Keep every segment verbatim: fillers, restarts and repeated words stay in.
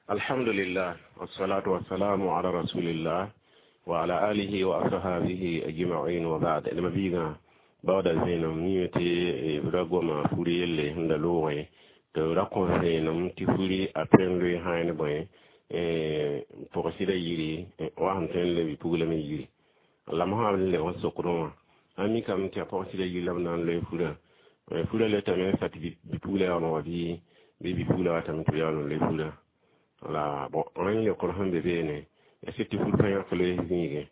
Alhamdulillah, wassalatu wassalamu ala rasulillah wa ala alihi wa ashabihi ajma'in, wa ba'd. Lama biga bawda zenam ni tɩ b ra goma furi yelle sẽn da loogẽ tɩ b ra kõ vẽenem tɩ furi a tõe n loe sã ne bõe pʋgsɩda yiri wa sẽn tõe n le bɩ-pugla me yiri. La mosã b lebg n sokdẽ wã a mikame tɩ a pʋgsɩda yiri la b na n loe furã, furã letame n sa tɩ bɩ-pugla yaool n wa bɩ bɩ bɩ-pugla watame tɩ b yaool n loe furã. Wala bon, rẽnd leokr sẽn be beene ya sɩd tɩ fur pa yãk loees zĩigẽ,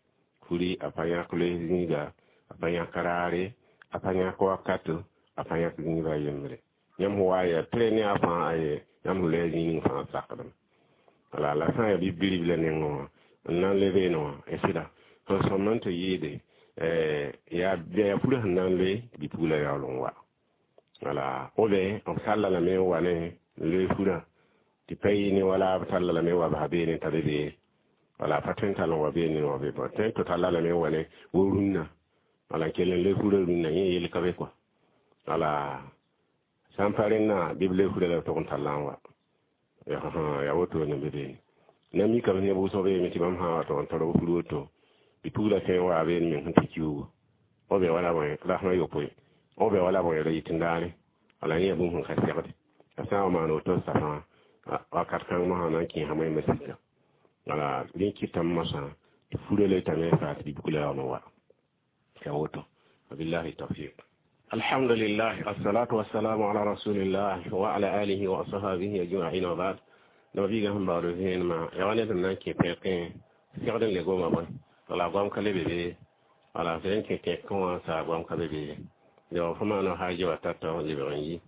furi a pa yãk loees zĩiga, a pa yãk raare, a pa yãk wakato, a pa yãk zĩiba a yembre. Yãmb sẽn wa yaa tɩ ne a fãa aye yãmb sẽn loe zĩig ning fãa sakdem. Wala la sã n yaa bi-ribla nengẽ wã n na n le beene wã ya sɩda sẽn sõm n tɩ yɩɩde yaa yaa furã sẽn na n loe tɩ bɩ-pugla yaool n wa. Wala b b talla lame n wa ne n loe furã tɩ pa yɩ ne wala b talla lame n wa basa beene t'a be bee. Wala pa tõe n tall n wa beene wa be tõe n tɩ talla lame n wa ne wo rũnnã, wala n kell n loe furã rũnnã, yẽ yell ka be kɔa. Wala sã n pa rẽnnã bɩ b loe furã la b tog n talla n wa yaa woto ne be beene. Na mikame neb wʋsg beeme tɩ bãmb sã n wa tog n tar b fur woto, bɩ-pugla tõe n waa beene meng sẽn tɩ kiuugo b be wala bõe rasmã yopoe, b be wala bõe ra yɩt n daane. Wala yẽ yaa bũmb sẽn ka segde a sã n wa maan woto safã wakat kãng mosã na n kẽesa wẽnnaam sika. Wala rẽ kɩtame mosã tɩ furã letame n saa tɩ bɩ-pugla yaool n wa ya woto. Wabillahi tawfiq. Alhamdulillah, assalatu wassalamu ala rasulillah wa ala alihi wa ashabihi ajma'in, wa ba'd. Lama biiga sẽn baood vẽenemã yaa wa ned n na n kẽ pẽkẽ segd n le goma bõe, wala goam ka le be be, wala sẽn kẽ tẽkẽ wã saa goam ka be be yo fo maana haaji wa tata lebg n yi,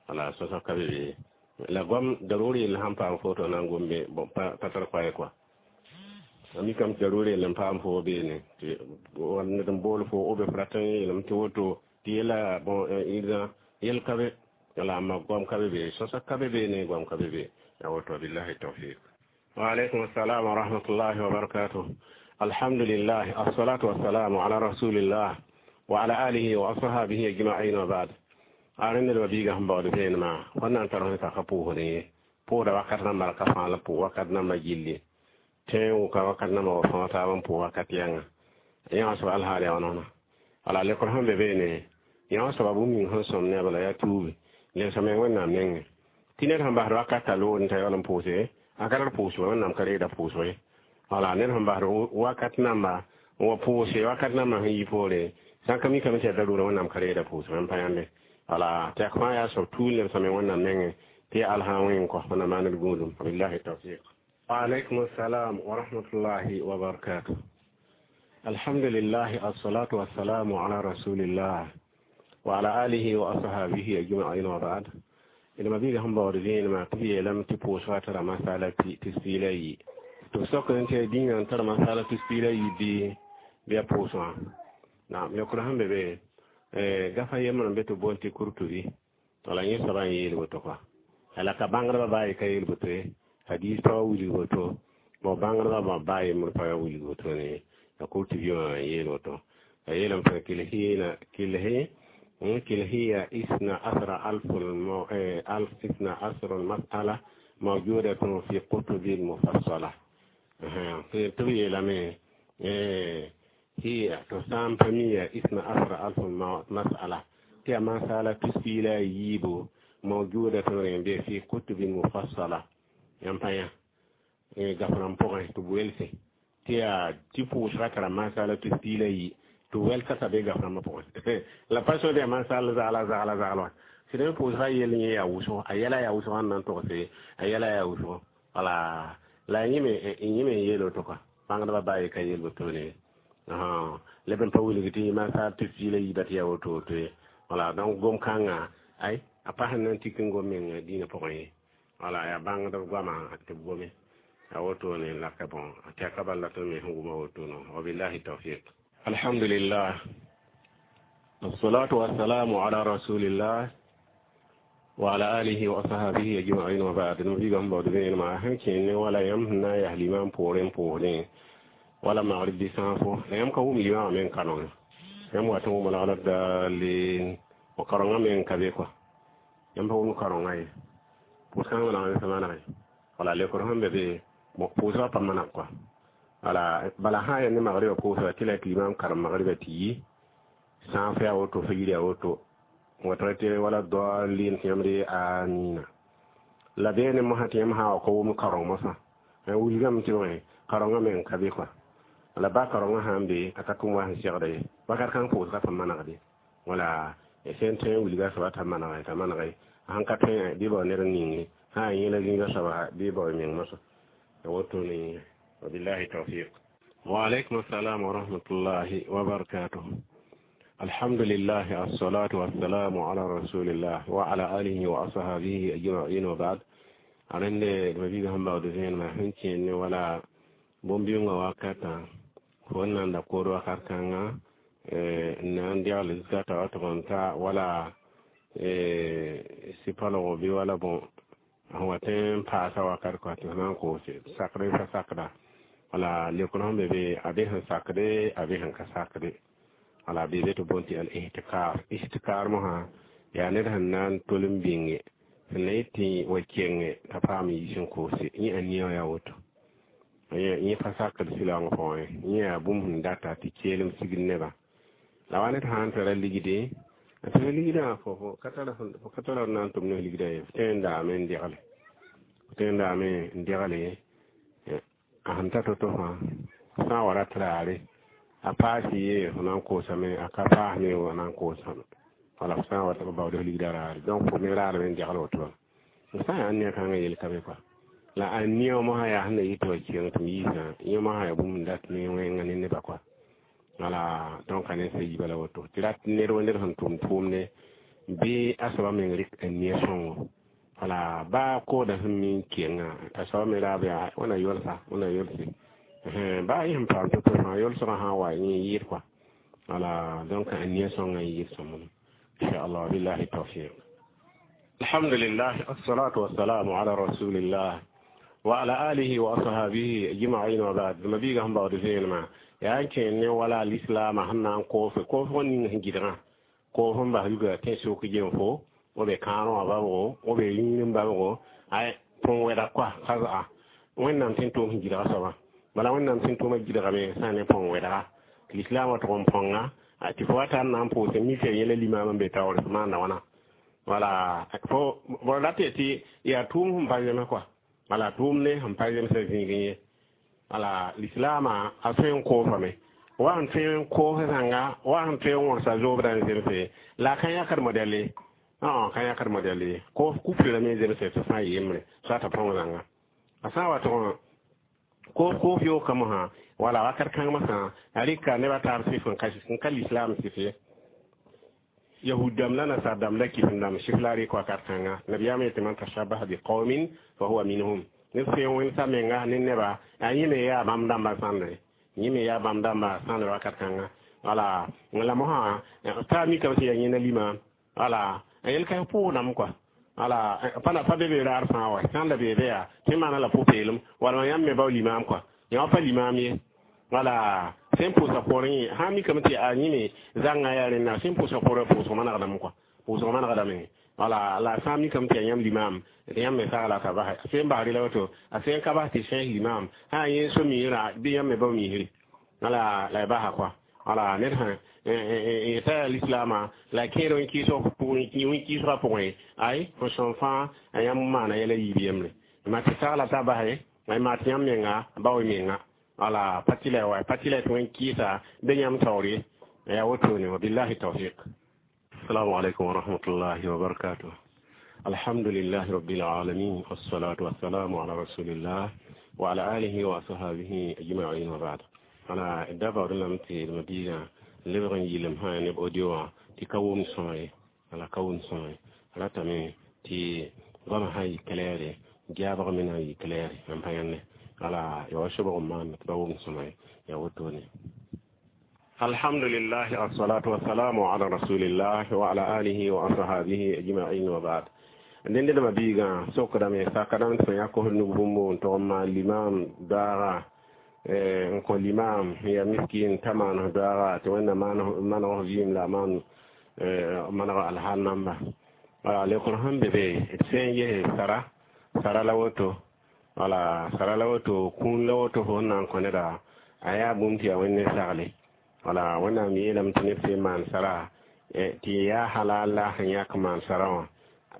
wala sõsg ka be be la goam daruri yell sãn paam foto na n gombe bon pa tar koɛɛ kɔa. A mikame tɩ daruri yell n paam fo beene tɩ ned n bool fo b f rat n yeelame tɩ woto tɩ yela bon irã yell ka be, wala amma goam ka be be, sõsg ka be beene, goam ka be be ya woto. Billahi tawfiq. Wa alaikum assalam wa rahmatullahi wa barakatuh. Alhamdulillah, assalatu wassalamu ala rasulillah wa ala alihi wa ashabihi ajma'in, wa ba'd. A rẽnd d biiga sẽn baood vẽenemã wãnna n tar sẽn saka pʋʋsdẽ ye pʋʋsda wakat namba la ka fãa la pʋʋg wakat namba gilli tẽeg wʋka wakat namba wa fãa taab n pʋʋg wakat yãnga yãga soaba alhaal yaa wãna. Wala lekr sẽn be beene yãga soaba bũmb ning sẽn sõm ne a bala yaa tuubi lebsame Wẽnnaam nengẽ tɩ ned sẽn basd wakat a lood n t'a yaool n pʋʋse a ka tar pʋʋsg, Wẽnnaam ka reegda pʋʋsg ye. Wala ned sẽn basd wakat namba n wa pʋʋse wakat namba sẽn yi poore sã n ka mikame tɩ yaa daruurã, Wẽnnaam ka reegda pʋʋsg n pa yãnde. Wala tɩ yak fãa yaa soab tuun lebsame Wẽnnaam nengẽ tɩ yaa alsã wẽng kɔ Wẽnnaam maan d gũudum. Wabillahi tawfiq. Wa alaikum assalam wa rahmatullahi wa barakatuh. Alhamdulillah, assalatu wassalamu ala rasulillah wa ala alihi wa ashabihi ajma'in, wa ba'd. Ila mabiga sẽn baood vẽenemã tɩ b yeelame tɩ pʋʋsga tara masala tus piig la yi tɩ b sok n tɩ dĩinã n tar masala tus piig la yi bɩ bɩ a pʋʋsgã. Naam, yokr sẽn be be gafa yembr n be tɩ boond tɩ Kurtubi, wala yẽ soaba n yeel woto kɔa. La ka bãngdbã baa ye ka yeel woto ye, hadis pa wa wilg woto bon, bãngdbã baa yembr pa wa wilg woto ne. La Kurtubi wã n yeel woto, a yeelame tɩ kilhiina kilhi كل هي اثنا عشر ألف المو... ألف اثنا عشر المسألة موجودة في كتب المفصلة في تبي لمي هي تسام فمية اثنا عشر ألف مسألة تي مسألة تسيلا يبو موجودة في كتب مفصلة ينبايا gafran pʋgẽ tɩ b welse tɩ yaa tɩ pʋʋsga tara masala tus piig la yi tɩ wɛlsa t'a be gafrãmbã pʋgẽ la pa sõd yaa masal zagla zagla zagla wã sɩd n pʋʋsga yell yẽ yaa wʋsgo, a yɛla yaa wʋsg n na n togse a yɛla yaa wʋsgo. Wala la yẽ me n yeel woto kɔa, bãngdbã baa ye ka yeel wotone leb n pa wilg tɩ masal tus piig la yiiba tɩ yaa woto woto ye. Wala donc gom kãngã ay a pa sẽn na n tik n gom meng dĩinã pʋgẽ ye. Wala yaa bãngdb goamã tɩ b gome a wotone laka bon tɩ a ka bala tõnd me sẽn wʋma wotono. Wabillahi tawfiq. Alhamdulillah, wassalatu wassalamu ala rasulillah wa ala alihi wa ashabihi ajma'in, wa ba'd. No biga baood vẽenemã sẽn kẽen ne wala yãmb sẽn na n yaa limam poorẽ pʋʋsdẽ wala magrib bɩ sãafo la yãmb ka wʋm limamã me n ka nongẽ yãmb wat n wʋma la dalin wa karongã me n ka be kɔa, yãmb pa wʋm karongã ye pʋʋs-kãngã manegame sã manege. Wala lekr sẽn be be pʋʋsgã pa maneg kɔa. Wala bala sã n yaa ne magribã pʋʋsga tɩ la tɩ limam karem magribã tɩ yi sã n fɛ a woto fo yir a woto watr tɩ wala daalin tɩ yãmb re amina. La beene mosã tɩ yãmb sã n wa ka wʋm kareng mosã wilgame tɩ bõe karengã me n ka be kɔa. La ba karengã sã n be a ka tʋm wa sẽn segda ye wakat kãng pʋʋsgã pa manegde. Wala sẽn tõe n wilga soaba t'a manege t'a manege sãn ka tõe bɩ bao ned n ninge sã n yẽla zĩiga soaba bɩ bao meng mosã wotone. Wabillahi tawfiq. Wa alaikum assalam wa rahmatullahi wa barakatuh. Alhamdulillah, assalatu wassalamu ala rasulillah wa ala alihi wa ashabihi ajma'in wa ba'd. Arende mabiga sẽn baood vẽenemã sẽn kẽer ne wala bõn-bɩʋngã wakatã fo n nan da kood wakat kãnga n na n degl zikata wa tʋg n ta wala sɩ-palgo bɩ wala bõ sẽn wa tõe n paasa wakat kɔa tɩ f na n koose sakd fa sakda. Wala lekr sẽn be be a be sẽn sakde a be sẽn ka sakde. Wala be be tɩ boond tɩ al ihtikar. Ihtikar mosã yaa ned sẽn na n tol n bĩnge sẽn na yet tɩ wa kenge t'a paam yiis n koose yẽ a nia yaa woto yẽ pa sakd sɩlaoong pʋgẽ yẽ yaa bũmb sẽn data tɩ keelem sigd nebã. La wa ned sã n tara ligde a tara ligdã fo ka tara na n tʋm ne ligdã ye f tõe n daame n degle f tõe n daame n degle a sẽn ta to-to fãa sã n wa rat raare a paas ye fo na n koosame a ka paas me fo na n koosame. Wala f sã n wa tɩ b baood f ligdã raare donc fo me raadame n degl woto f sã n yaa nia kãngã yel ka be kɔa. La a nia mosã yaa sẽn na yɩ tɩ wa keng tɩ m yiisã yẽ mosã yaa bũmb n dat ne wẽnga ne nebã kɔa. Wala donc a ne sã yiibã la woto tɩ rat ned wa ned sẽn tʋm tʋʋmde bɩ a soaba meng rɩk a nia sõngo. Wala baa koodã sẽn mi n kengã t'a soaba me raab yaa wẽna yolsa wẽna yolse baa yẽ sẽn paam to-to fãa yolsgã sã n wa yẽ yɩɩd kɔa. Wala donc a nia sõngã n yɩɩd sõmb inshallah. Billahi tawfiq. Alhamdulillah, assalatu wassalamu ala rasulillah wa ala alihi wa ashabihi ajma'in wa ba'd. Mabiga sẽn baood vẽenemã yaa n kẽer ne wala lislaamã sẽn na n koose koosg ning sẽn gɩdgã koos n bas yuga tẽ-sok gemfo w be kãadẽ wã babgo w be yĩngr n babgo ay põn wɛda koa ka za'a wẽnnaam sẽn tʋʋm sẽn gɩdga soabã bala wẽnnaam sẽn tʋʋmã gɩdgame sã n ne põn wɛdga tɩ lislaamã tʋg n põnga tɩ fo wa tar na n pʋʋse mika yẽla limaam n be taoore f maanda wãna. Wala fo b rat tɩ yaa tʋʋm sẽn pa zems kɔa. Wala tʋʋm ne sẽn pa zemsã zĩigẽ ye. Wala lislaamã a tõe n koosame wa sẽn tõe n koos zãnga wa sẽn tõe n wõgsa zoobdã n zemse la a ka yãkd modɛl ye ka yãkd modɛl ye koos kufrã me zemse tɩ sã n yembre soa t'a põng zãnga a sã n wa tʋg koos koos yookã mosã wala wakat kãng mosã a rɩka nebã taab sɩf n ka lislaam sɩf ye yahud dãmb la nasar dãmb la kifem dãmb sɩf la a rɩk wakat kãnga nabiyaam yetɩ man tashabaha biqaumin fa huwa minhum ned tõe n wẽnsa menga ne neba a yẽ me yaa bãmb dãmbã sãndre yẽ me yaa bãmb dãmbã sãndre wakat kãnga. Wala la mosã taa mikame tɩ yaa yẽnda lima wala a yel ka pʋʋsdame kɔa. Wala pa pa be be raar fãa wa sãn la beebe yaa tɩ maana la pʋ-peelem wala yãmb me bao limaam kɔa yã pa limaam ye. Wala sẽn pʋʋsa poorẽ yẽ sã n mikame tɩ a yẽ me zãngã yaa rẽnda sẽn pʋʋsa poorẽ pʋʋsg manegdame kɔa pʋʋsg manegdame. Wala la sã n mikame tɩ yaa yãmb limaam tɩ yãmb me sagla t'a basɛ sẽn basri la woto a sẽn ka bas tɩ sẽs limaam sã n yẽ so-miirã bɩ yãmb me bao miisri wala la y basa kɔa. Wala ned sã yeta yaa lislaamã la kẽer wẽn-kɩɩsgã pʋgẽ ay fo sõm fãa a yãmb maana yɛla yiib yembre ma tɩ sagla t'a basɛ ay maa tɩ yãmb menga bao menga. Wala pa tɩ la wa pa tɩ la tɩ wẽn-kɩɩsa bɩ yãmb taoor ye yaa wotone. Wabillahi tawfiq. Assalamu alaikum wa rahmatullahi wa barakatuh. Alhamdulillahi rabbil alamin, wassalatu wassalamu ala rasulillah wa ala alihi wa ashabihi ajma'in wa ba'd. Wala da baood lame tɩ mabiigã lebg n yɩlem sã neb audio wã tɩ ka wʋm sõma ye. Wala ka wʋm sõma ye ratame tɩ goamã sã n yɩ claire jaabg me na n yɩ claire n pa yãnde wala ya wa sobg n maan tɩ ba wʋm sõma ye yaa wotone. Alhamdulillah, assalatu wassalamu ala rasulillah wa ala alihi wa ashabihi ajma'in wa ba'd. Dẽnd d mabiigã sokdame sakdame tɩ fõ yã kos nug bũmb n tog n maan limaam daaga n kõ limaam ya miskin t'a maan daaga tɩ wẽnna maneg f vɩɩm la a maan maneg alhaal namba. Wala lekr sẽn be be d sẽn ges sara sara la woto. Wala sara la woto kũun la woto fo sẽn na n kõ neda a yaa bũmb tɩ yaa Wẽnd sagle. Wala Wẽnnaam yeelame tɩ ned sẽn maan sara tɩ yaa halal la sẽn yãk maan sara wã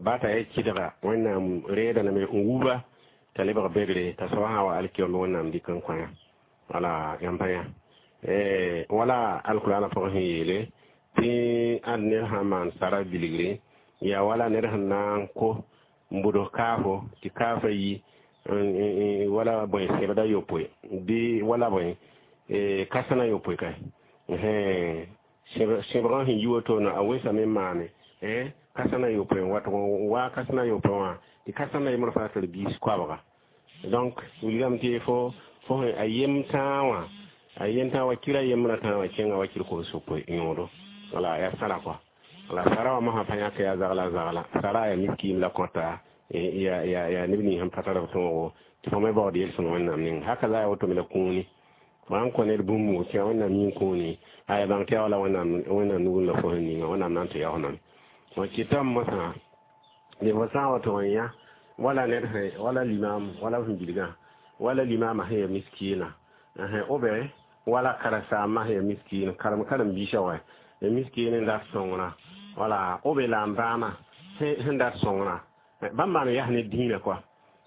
ba t'a ya kɩdga Wẽnnaam reedame n wuba t'a lebg begre t'a soaba sã wa alkiyom Wẽnnaam dɩk n kõ-yã. Wala yãmb pa yã wala alkurana pʋgẽ sẽn yeele tɩ ãd ned sã n maan sara bilgre yaa wala ned sẽn na n ko n bʋds kaafo tɩ kaafã yi wala bõe sẽbda yopoe bɩ wala bõe kãsena yopoe ka sẽbgã sẽn yi wotone a wesame n maane kãsena yopoe n wat n wa kãsena yopoe wã tɩ kãsena yembr fãa tar biis koabga. Donc wilgame tɩ fo fo a yem tãa wã a yen tãa wa kira yembrã tãa wã kẽnga wa kir kobs yopoe yõodo. Wala yaa sara kɔa. Wala sara wã mosã pa yãk yaa zagla zagla sara yaa miskiim la kõta ya ya ya neb nins sẽn pa tar b tõogo tɩ fo me baood yel-sõng Wẽnnaam ninga haka la yaa woto me la kũuni fo sãn kõ ned bũmb tɩ yaa Wẽnnaam yĩng kũuni aya bãng tɩ yaa wala Wẽnnaam Wẽnnaam nugr la fo sẽn ninga Wẽnnaam na n tɩ yaoos name fo kɩtame mosã de fo sã n wa tʋg n yã wala ned sẽn wala limam wala sẽn bilgã wala limama sẽn ya miskiina b wala karen-saambã sẽn ya miskiin karem karen-biisã wa ya miskiin n dat sõngrã wala b la n bãama sẽn dat sõngrã bãmb maan yas ne dĩinã kɔa.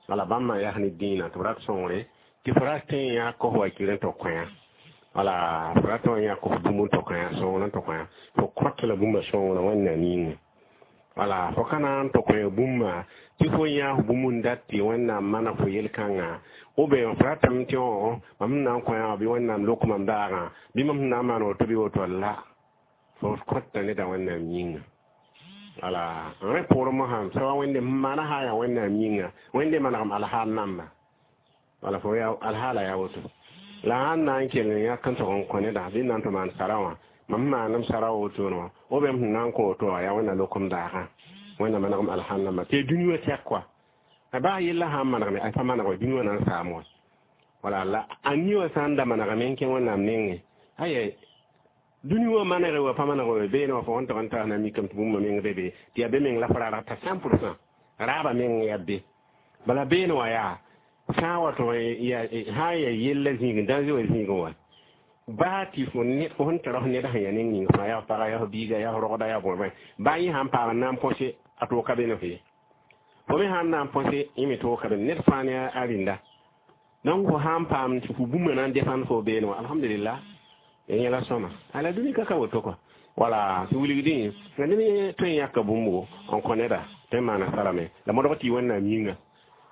Wala bãmb maan yas ne dĩinã tɩ b rat sõngre tɩ fo ra tõe n yã kos wakir n tɩ kõ-yã. Wala fo ra tõe n yã kos bũmb n tɩ kõ-yã sõngr n tɩ kõ-yã fo kõt la bũmba sõngrã Wẽnnaam yĩnga. Wala fo ka na n tɩ kõ bũmba tɩ fo yã bũmb n dat tɩ Wẽnnaam mana fo yel-kãngã b fo ratame tɩ mam sẽn na n kõ-yã bɩ Wẽnnaam lok mam daagã bɩ mam sẽn na n maan woto bɩ woto la fo kõta neda Wẽnnaam yĩnga. Wala rẽ poorẽ mosã soaba Wẽnde maana sã n yaa Wẽnnaam yĩnga Wẽnde manegem alhaal namba. Wala fo yaa alhaala yaa woto la sãn na n kell n yãk n tʋg n kõ neda bɩ n na n tɩ maan sara wã mam sẽn maandem sara wotone wã b m sẽn na n kõ woto wã yaa Wẽnna lokem daagã Wẽnna manegem alhaal namba tɩ dũni wã tɛk kɔa a baa yella sã n manegme a pa maneg wa dũni wã na n saam wã. Wala la a ni wã sã n da manegame n kẽ Wẽnnaam nengẽ aya dũni wã manegre wa pa maneg wa beene wã fo sẽn tog n taas na mikame tɩ bũmba meng be be tɩ yaa be meng la fo rarg t'a cent pourcent raaba meng yaa be bala beene wã yaa sã n wa tɩ sã n yaa yella zĩigẽ dãnze wã zĩigẽ wã baa tɩ fo fo sẽn tara f ned sẽn yaa neng ning fãa yaa f paga yaa f biiga yaa f rogda yaa bõe bõe baa yẽ sãn paam n na n põse a toog ka be ne fo ye fo me sãn na n põse yẽ me toog ka be ned fãa ne a rĩnda. Donc fo sãn paam tɩ fo bũmba na n defãnd fo beene wã alhamdulillah yẽla sõma ala dũni ka ka woto kɔa. Wala tɩ wilgdẽ la ned tõe n yãka bũmbo n kõ neda tõe n maana sarame la modg tɩ Wẽnnaam yĩnga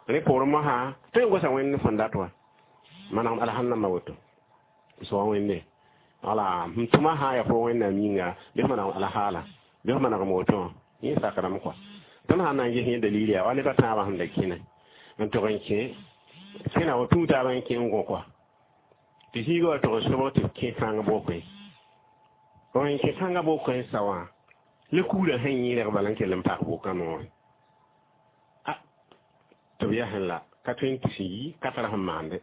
rẽ poorẽ mosã tõe n gosa Wẽnd fõn dat wa manegem alhamdãmbã woto soa Wẽnde. Wala m tʋma sã n yaa fo Wẽnnaam yĩnga bɩ f manegem alhaala bɩ f manegem woto wã yẽ sakrame kɔa. Tõnd sãn na n ges yẽ dalil yaa wa ned a tãabã sẽn da kẽne n tʋg n kẽ kẽna wa tũu taabã n kẽ n gõ kɔa tɩ zĩiga wa tʋg n sobg tɩ b kẽ kãng bokẽ n kẽ kãngã bokẽ n sa wã la kugrã sẽn yẽrg bala n kell n pak bokã noorẽ a tɩ b yasẽ la ka tõe n tus n yi ka tar sẽn maande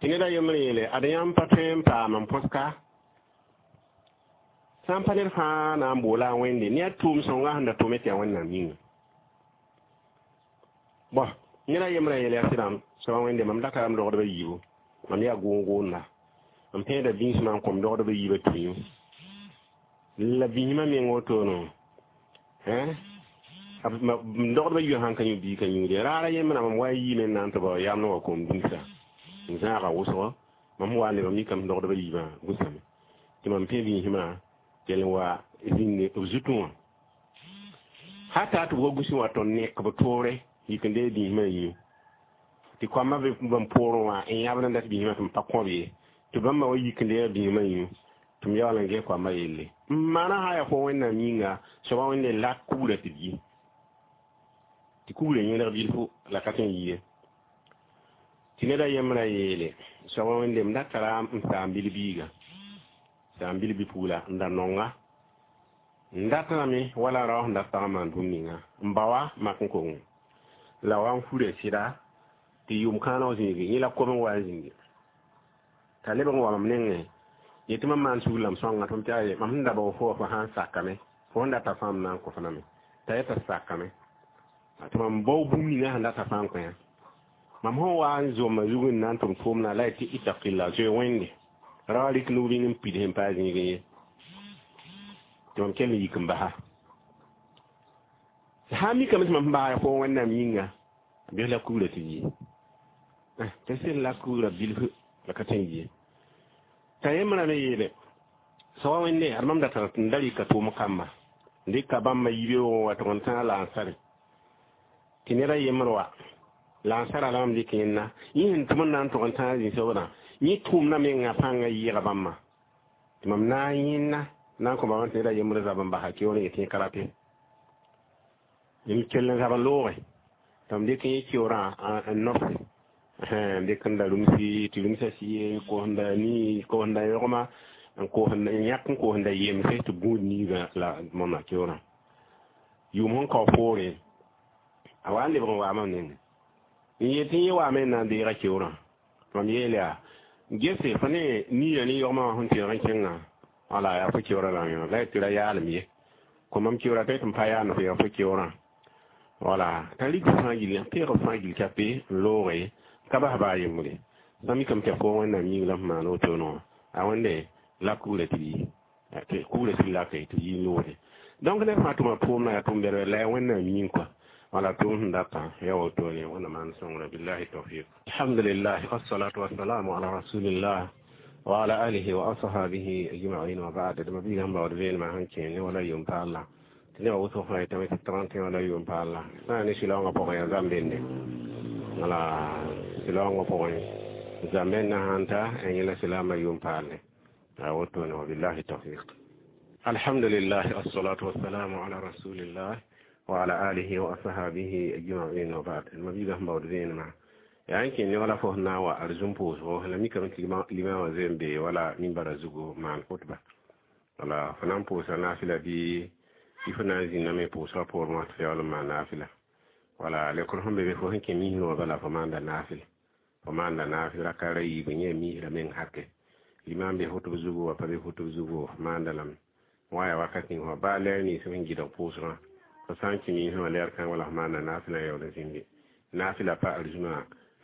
tɩ ned a yembr yeele ad yãmb pa tõe n paam n põs ka sã n pa ned fãa na n boola a Wẽnde ne a tʋʋm sõnga sẽn da tʋme tɩ yaa Wẽnnaam yĩnga. Bõ ned a yembrã yeele yaa sɩdame soaba Wẽnde mam datame rogdbã yiibu mam yaa gʋʋn-gʋʋnda m tẽeda bĩsmã n kõm rogdbã yiibã tũ la bĩsmã meng wotono rogdbã yiibã sãn ka yũ bii ka yũude raara yembrã mam wa n yiime n na n tɩ bao yamd wa kom dũnsa n zãaga wʋsgo mam wa n lebg mikame rogdbã yiibã gũsame tɩ mam pẽ bĩsmã kell n wa zĩnd b zutẽ wã hata tɩ b wa gũsẽ wa tõnd nek b toore yik n dee bĩsmã yĩu tɩ koambã be bãmb poorẽ wã n yãbd n dat bĩsmã tɩ m pa kõb ye tɩ bãmba wa yik n deega bĩsmã yĩu tɩ m yaool n ges koambã yelle n maana sã yaa fo Wẽnnaam yĩnga soaba Wẽnde la kugrã tɩ b yi tɩ kugrã yẽlg bilfu la ka tõe n yi ye tɩ ned a yembrã yeele soaba Wẽnde m da tara n saam bil-biiga saam bil-bi-pugla n da nonga n datame wala rao sẽn dat pag n maan bũmb ninga n ba wa mak n kong la wa n fura sɩda tɩ yʋʋm kãana wã zĩigi yẽ la kob n wa n zĩngi t'a lebg n wa mam nengẽ yetɩ mam maan sugr la m sõnga tɩ m tɩ aye mam sẽn da bao fo fo sã n sakame fo sẽn data fãa m na n kõ fo name t'a yeta sakame tɩ mam bao bũmb ninga sẽn data fãa n kõ yã. Mam sẽn wa n zoma zug n na n tʋm tʋʋmdã la y tɩ itaqilla zoe wẽnde ra rɩk nug rĩng n pid sẽn paa zĩigẽ ye tɩ mam kell n yik n basa sã n mikame tɩ mam sẽn basa fo wẽnnaam yĩnga a bes la kugrã tɩ yi tɩ sel la kugrã bilf la ka tõe n yie t'a yembrã me yeele soa wẽnde ad mam da tar n da rɩka tʋʋm kamba n dɩka bãmba yibeoogẽ wa tʋg n tãag la ansare tɩ ned a yembr wa la ansara la mam dɩk yẽnna yẽ sẽn tʋm n na n tʋg n tãag zĩ-sobdã yẽ tʋʋmdã menga pãngã yɩɩga bãmba tɩ mam na n yẽnna na n kõ bãmb tɩ ned a yembr zab n basa keoor n yetɩ yẽ ka rate n kell n zab n looge tɩ mam dɩk yẽ keoorã n nobse n dɩk n da rũmsi tɩ rũmsã sɩ kosenda nii kosenda yõgma n koosend n yãk n koosenda yemse tɩ gũud niigã la mõmna keoorã yʋʋm sẽn kao poore a wa n lebg n waa mam nengẽ n yet tɩ yẽ waame n na n deega keoorã mam yeel yaa gese fo ne niigã ne yõgmã wã sẽn tẽeg n kẽngã wala yaa fo keoorã la yõ la y tɩ ra yaalem ye kõ mam keoorã t'a yet n pa yaand fo yaa fo keoorã wala t'a rik fãa gill peeg fãa gill kape n looge ka bas baa yembre sã mikame tɩ fo wẽnnaam yĩng la f maan wotone wã a wẽnde la kugrã tɩ yi kugrã tɩ lake tɩ yi loode donc ned fãa tʋma tʋʋmdã yaa tʋʋm bɛlbɛl la yaa wẽnnaam yĩng kɔa wala tʋʋm sẽn datã ya wotone wẽnnaam maan sõngra billahi tawfiq alhamdulillah wassalatu wassalamu ala rasulillah wa ala alihi wa ashabihi ajma'in wa ba'd dama biigã sẽn baood veenemã sẽn kẽ ne wala yʋʋm paalla tɩ nebã wʋsg fãa yetame tɩ trente wala yʋʋm paalla sã n ne sɩlaoongã pʋgẽ yaa zambende wala sɩlaoongã pʋgẽ zambendã sãn ta yẽ la silaamã yʋʋm paalle wotone wa billahi tawfiq alhamdulillah wassalatu wassalamu ala rasulillah wa ala alihi wa ashabihi ajma'in wa ba'd ma biigã sẽn baood veenemã yaa n kẽ ne wala fo sẽn na n wa arzũm pʋʋsgo la mikame tɩ limam wã zoe n bee wala mimbara zugu maan khutba wala fo na n pʋʋsa naafɩla bɩ tɩ fo na n zĩnname pʋʋsgã poorẽ wã tɩ fo yaool n maan naafɩla wala lekr sẽn be be fo sẽn kẽ misrẽ wã bala fo maanda naafɩl fo maanda naafɩl raka ra yiib yẽ misrã meng hake limam be khutb zugu wa pa be khutb zugu fo maanda lame wa ya wakat ning wã baa lɛɛr nins sẽn gɩdg pʋʋsgã fo sã n kẽ misrẽ wã lɛɛr kãng wala fo maanda naafɩlã yaool n zĩnde naafɩla pa arzũmã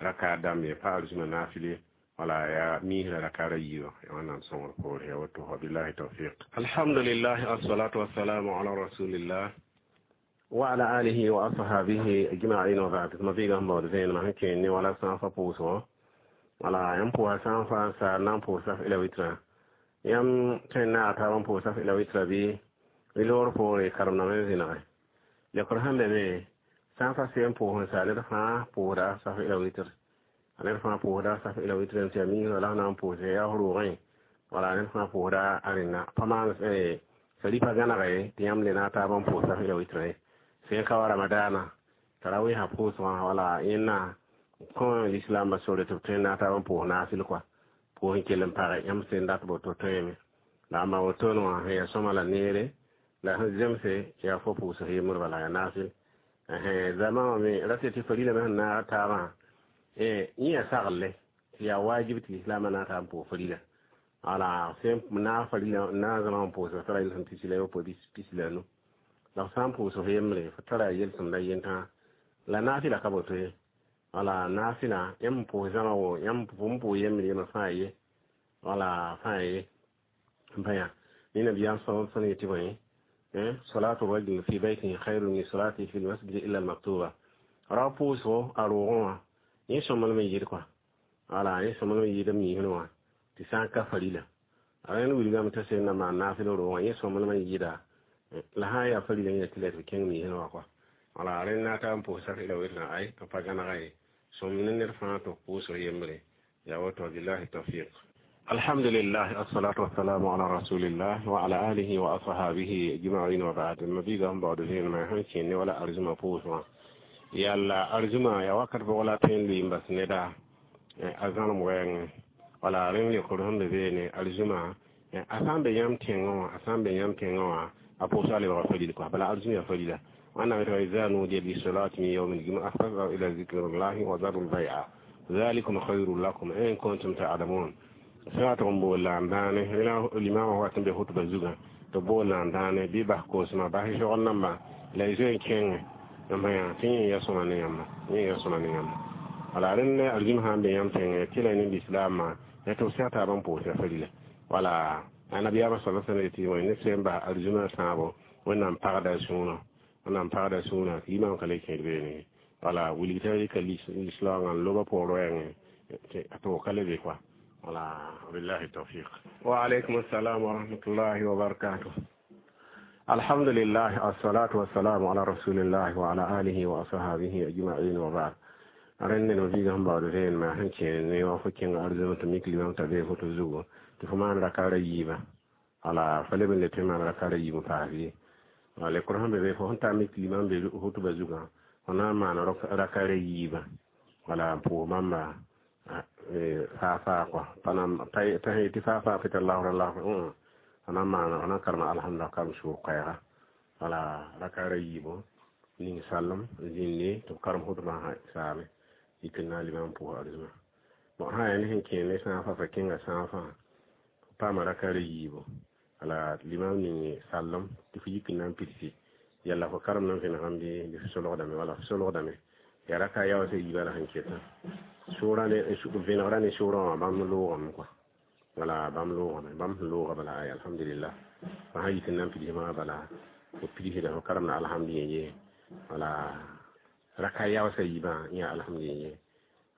raka dãmb ye pa arzũmã naafɩle wala ya misrã raka ra yiiba wẽnnaam sõngr poore ya woto wa billahi tawfiq alhamdulillah assalatu wassalamu ala rasulillah wa ala alihi wa ashabihi ajma'in wa ba'd ma biigã sẽn baood vẽenemã sẽn kẽ ne wala sãn-fa pʋʋsgõ wala yãmb pʋʋsa sãn-fa n saar na n pʋʋs saf ila witra yãmb tõe n naag taab n pʋʋs saf ila witra bɩ bɩ loor poore karem-dãmb n zẽnege lekr sẽn be me sãn-fa seen pʋʋs n saa ned fãa pʋʋsda saf ila witr ned fãa pʋʋsda saf ila witr n tɩ yaa miisã la f na n pʋʋse yaa f roogẽ wala ned fãa pʋʋsda a rẽnna pa maan saripa gãnega ye tɩ yãmb le naag taab n pʋʋs saf ila witrã ye sẽn ka wa ramadaana t'a ra wesã pʋʋsgã wala yẽnna kõ lislaambã sore tɩ b tõe n naag taab n pʋʋs naasɩl kɔa pʋʋs n kell n page yãmb sẽn dat boto tõeme la amba wotone wã sẽn yaa sõma la neere la sẽn zemse yaa fo pʋʋsg yembr bala yaa naasɩl zama wã me ra tɩ tɩ farila me sẽn naag taabã yẽ yaa saglle tɩ yaa wajib tɩ lislaambã naag taab n pʋʋs farila wala sẽn naag farila naag zãma n pʋʋsg tara yelsem pisi la yopoe pisi la nu la f sã n pʋʋsg yembre fo tara yelsem la yentã la naafɩla ka boto ye wala naafɩla yãmb n pʋʋs zãma wo yãmb n pʋʋs yembre yembre fãa ye wala fãa ye n pa yã ne nabiyaam sẽn yetɩ bõe salatu rajul fi baytihi khayrun min salatihi fi lmasjidi illa almaktuba ra pʋʋsgo a roogẽ wã yẽ sõmblem n yɩd kɔa wala yẽ sõmblem n yɩd m misrẽ wã tɩ sã n ka farila a rẽnd wilgame t'a sẽn na maan naafɩl roogã yẽ sõmblem n yɩda la sã n yaa farila yẽ tɩ la tɩ b kẽng misrẽ wã kɔa wala rẽnd na ta n pʋʋs sak ila witrã ay n pa gãnega ye sõm ne ned fãa tɩ pʋʋsg yembre yaa woto billahi tawfiq alhamdulillah assalatu wassalamu ala rasulillah wa ala alihi wa ashabihi ajma'in wa ba'd ma biigã sẽn baood vẽenemã sẽn kẽ ne wala arzũmã pʋʋsgã yalla arzũmã yaa wakat bʋg la tõe n lʋɩ n bas neda a zãlem wɛɛngẽ wala rẽnd lekr sẽn be beene arzũmã a sã n be yãmb tẽngã wã a sã n be yãmb tẽngã wã a pʋʋsga lebga faril kɔa bala arzũm yaa farila wẽnnaam tɩ iza nudiya lisalati min yawmi ljum'a fas'au ila zikrillahi wa zaru lbai'a dhalikum khayrun lakum in kuntum ta'lamun sã tɩg n bool la n dãane limamã wat n be khutba zugã tɩ bool la n dãane bɩ bas koosmã bas sogr namba la y zoe n kẽngẽ n yã tɩ yẽ ya sõma ne yãmba yẽ ya sõma ne yãmba Wala rẽnd arzim sã n be yãmb tẽngẽ tɩ la ne lislaamã ya tɩ b seg taabã n pʋʋsga farila. Wala annabiyaamã sala sẽn yetɩ ned sẽn bas arzimã sãabo, Wẽnnaam pagda sũurã, Wẽnnaam pagda sũurã tɩ yimam ka le kẽed beene. Wala wilg t'a rɩka lislaoongã n loba poor wɛɛngẽ tɩ ka le be koa. Wala billahi tawfiq. Wa alaykum assalam wa rahmatullahi wa barakatuh. Alhamdulillah, assalatu wassalamu ala rasulillah wa ala alihi wa ashabihi ajma'in wa ba'd. Rẽnd no viiga sẽn baood vẽenemã sẽn kẽ ne wã fo kẽnga arzẽm tɩ mik limam t'a bee foto zugu tɩ fo maan rakaara yiibã. Wala fa leb n le tɩ maan rakaara yiib n paas ye. Wala lekr sẽn be be, fo sẽn ta mik limam be hutba zugã, fo na n maan rakaara yiibã. Wala n pʋʋs bãmba faa faa kɔa, pa t'a sẽn yetɩ faa faa pɩ allahu allahu, fo na n maana, fo na n karema alhamdulillah, karem sʋʋg koɛɛga. Wala rakaara yiibo ning sallem zĩnde tɩ b karem hutbã saame yik n na n limam pʋʋs arzimã. Bon, sã yaa ne sẽn kẽ ne sãafã, fa kẽnga sãafã paama rakaara yiibo, wala limam ning sallem tɩ fo yik n na n pidsi yalla fo karem nan vẽnegame bɩ fo solgdame. Wala fo solgdame yaa raka yaoosã yiibã la sẽn ketã sʋʋrã ne vẽnegrã ne sʋʋrã wã, bãmb loogame kɔa. Wala bãmb loogame, bãmb sẽn looga bala, ay alhamdulillah. Fo sã yik n na n pidsmã, bala fo pidsda, fo karemda alhamdu ye. Wala raka yaoosã yiibã yã alhamdu ye.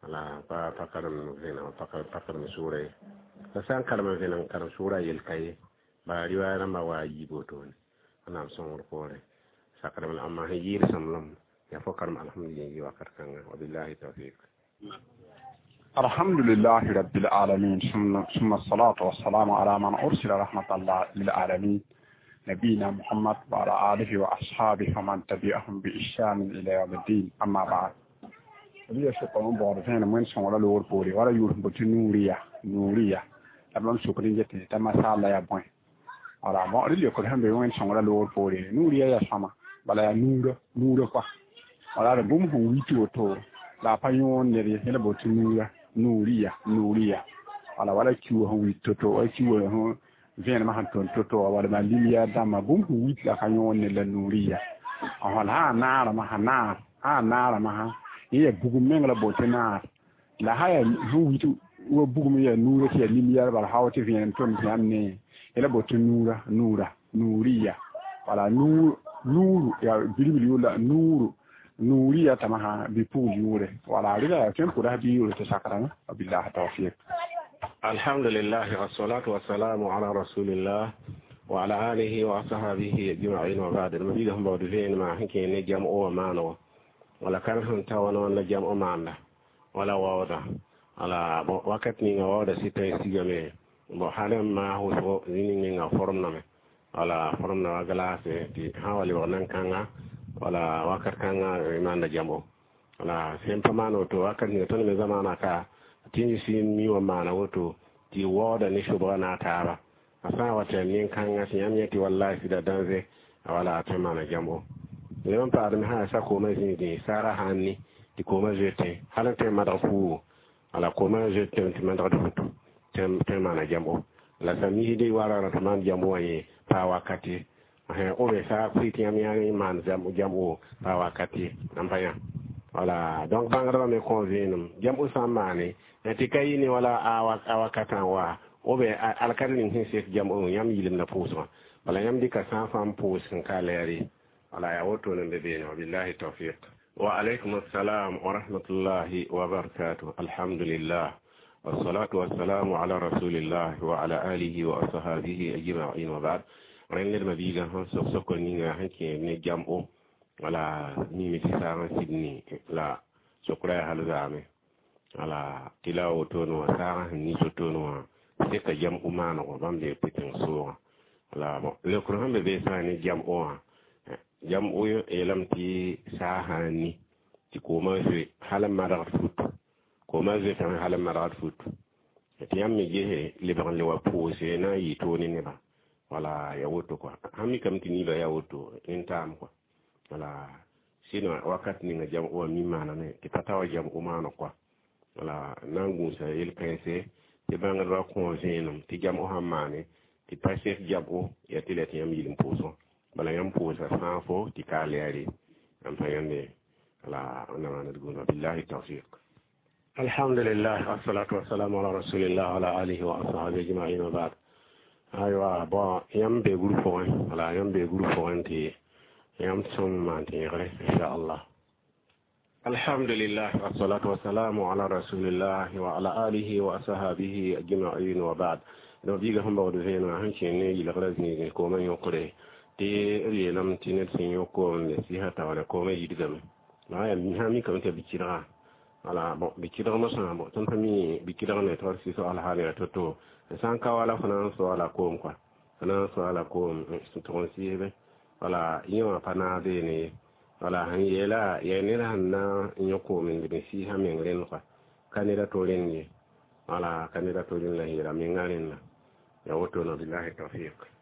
Wala pa pa karem vẽneg, pa karem sʋʋra ye. La sã n karem n vẽneg karem sʋʋra yel ka ye, bala riwaaya rãmbã wa a yiib wotone. Wẽnnaam sõngr poorẽ sakrame la amma sẽn yɩɩd sõmblem yaa fo karem alhamdu ye wakat kãnga. Wabillahi tawfiq. الحمد لله رب العالمين، ثم الصلاة والسلام على من أرسل رحمة الله للعالمين، نبينا محمد وعلى آله وأصحابه ومن تبعهم بإحسان إلى يوم الدين، أما بعد. Biya sʋka n baood vẽenem wẽnd sõngra loogr poore wala yʋʋr sẽn bote nuuriya nuuriya la bãmb sokd n get t'a masaala yaa bõe. Wala bon, rẽ leokd sẽn be wẽnd sõngra loogr poore, nuuriya yaa sõama, bala yaa nuurã nuurã koa. Wala d bũmb sẽn wit woto la a pa yõod ned ye, la bote nuurã nuuriya nuuriya. Wala wala kiuug sẽn wit to-to, wala kiuugã sẽn vẽenemã sẽn tʋm to-to, wala maa lumière dãmbã, bũmb sẽn wit la ka yõod ned la nuuriya. La sã naarame sã naar sã naarame sã yẽ yaa bugum meng la bote naar, la sã yaa sẽn wit wa bugum yaa nuurã tɩ yaa lumière, bala sã wa tɩ vẽenem tʋm tɩ yãmb ne la bote nuurã nuura nuuriya. Wala nuur nuuru yaa bilibl yʋʋr la nuuru nuuriya tama sã bi-pugl yʋʋre. Wala rɩla yaa tõe n pʋda bɩ yʋʋre tɩ sakrame. Wabillahi tawfiq. Alhamdulillah, wassalatu wassalamu ala rasulillah wa ala alihi wa ashabihi ajma'in wa ba'd. Ma biga sẽn baood vẽenemã sẽn kẽ ne jam'o wã maanogo, wala kar sẽn ta wã la jam'o maanda wala waooda. Wala bon, wakat ninga waooda sɩta n sigame. Bon, hal n maas wʋsgo zĩ ninga form name, wala form na wa glace tɩ sã wa lebg nan-kãnga, wala wakat kãnga maanda jam'o. Wala sẽn pa maan woto, wakat ninga tõnd me zamaana ka tɩ sɩ mi wã maana woto tɩ waooda ne sobga na a taaba a sã n wa tɩ nin-kãngã tɩ yãmb yẽ tɩ wallahi sɩda dãnze wala a tõe n maana jam'o. Leb n paadme sã sa koomã zĩigẽ saara sãn ni tɩ koomã zoetẽ hal n tõe n madg fuugo, wala koomã zoetẽ tɩ madgd futu tõe n maana jam'o. La sã misde warã tɩ maan jam'o wã yẽ paa wakat ye, obe sa pʋɩ tɩ yãmb yã maan jam'o paa wakat ye n pa yã. Wala donc bãngdbã me kõ vẽenem jam'o sã n maane tɩ ka yɩ ne wala a wakatã wa obe alkar ning sẽn sek jam'o yãmb yɩlemda pʋʋsgã. Bala yãmb dɩka sã n pʋʋs n ka lɛɛr ye. Wala yaa wotone n be beene. Wabillahi tawfiq. Wa alaykum assalam wa rahmatullahi wa barakatuh. Alhamdulillah, والصلاة والسلام على رسول الله وعلى آله وأصحابه أجمعين وبعد. Rẽnd ma biigã sẽn sok sokr ninga sẽn kẽ ne jam'o, wala mime tɩ saagã sidni la sokra yaa hal zaame. Wala tɩ la wotone wã saagã sẽn nis wotone wã seka jam'o maanego bãmb bee pʋtẽng soogã. Wala bon, leokr sẽn be bee sã ne jam'o wã, jam'o yeelame tɩ saag sã n ni tɩ koomã zoe hal n madgd fut, koomã zoetame hal n madgd fut, tɩ yãmb me gese lebg n le wa pʋʋse na n yɩ toog ne nebã. Wala ya woto kɔa, sãn mikame tɩ niibã yaa woto nin-taam kɔa. Wala sɩd wakat ninga jam'o wã mi maaname tɩ pa ta wa jam'o maaneg kɔa. Wala na n gũusa yel-kãense tɩ bãngdbã kõ vẽenem tɩ jam'o sãn maane tɩ pa sek jam'o yaa tɩ la tɩ yãmb yɩl n pʋʋsgã. Bala yãmb pʋʋsa sãafo tɩ ka lɛɛre n pa yãmbe. Wala wẽnnaam maana d gũuda. Billahi tawfiq. Alhamdulillah, wassalatu wassalamu ala rasulillah wa ala alihi wa ashabihi ajma'in, wa ba'd. Aywa, bon, yãmb bee groupe pʋgẽ, wala yãmb bee groupe pʋgẽ tɩ yãmb sõm maan tẽegre, inchallah. Alhamdulillah, wassalatu wassalamu ala rasulillah wa ala alihi wa ashabihi ajma'in, wa ba'd. Donc biiga sẽn baood vẽenegã sẽn kẽen ne yɩlgrã zĩigẽ koomã yõkre tɩ b yeelame tɩ ned sẽn yõk koom n sɩsã taoore koomã yidgame. La yaa sã mikame tɩ bi-kɩdga, wala bon, bi-kɩdg mosã, bon, tõnd pa mi bi-kɩdg ne tɩ sɩs alhaal yaa to-to. Sã n ka wala fo na n soaala koom kɔa, fo na n soaala koom tʋg n sɩsbe, wala yẽ wã pa naag beene ye. Wala sẽn yeela yaa ned sẽn na n yõ koom n leb n sɩɩsã meng rẽnd kɔa, ka ned a to rẽnd ye, wala ka ned a to rẽnd la yeela menga rẽnda yaa woto. Na billahi tawfiq.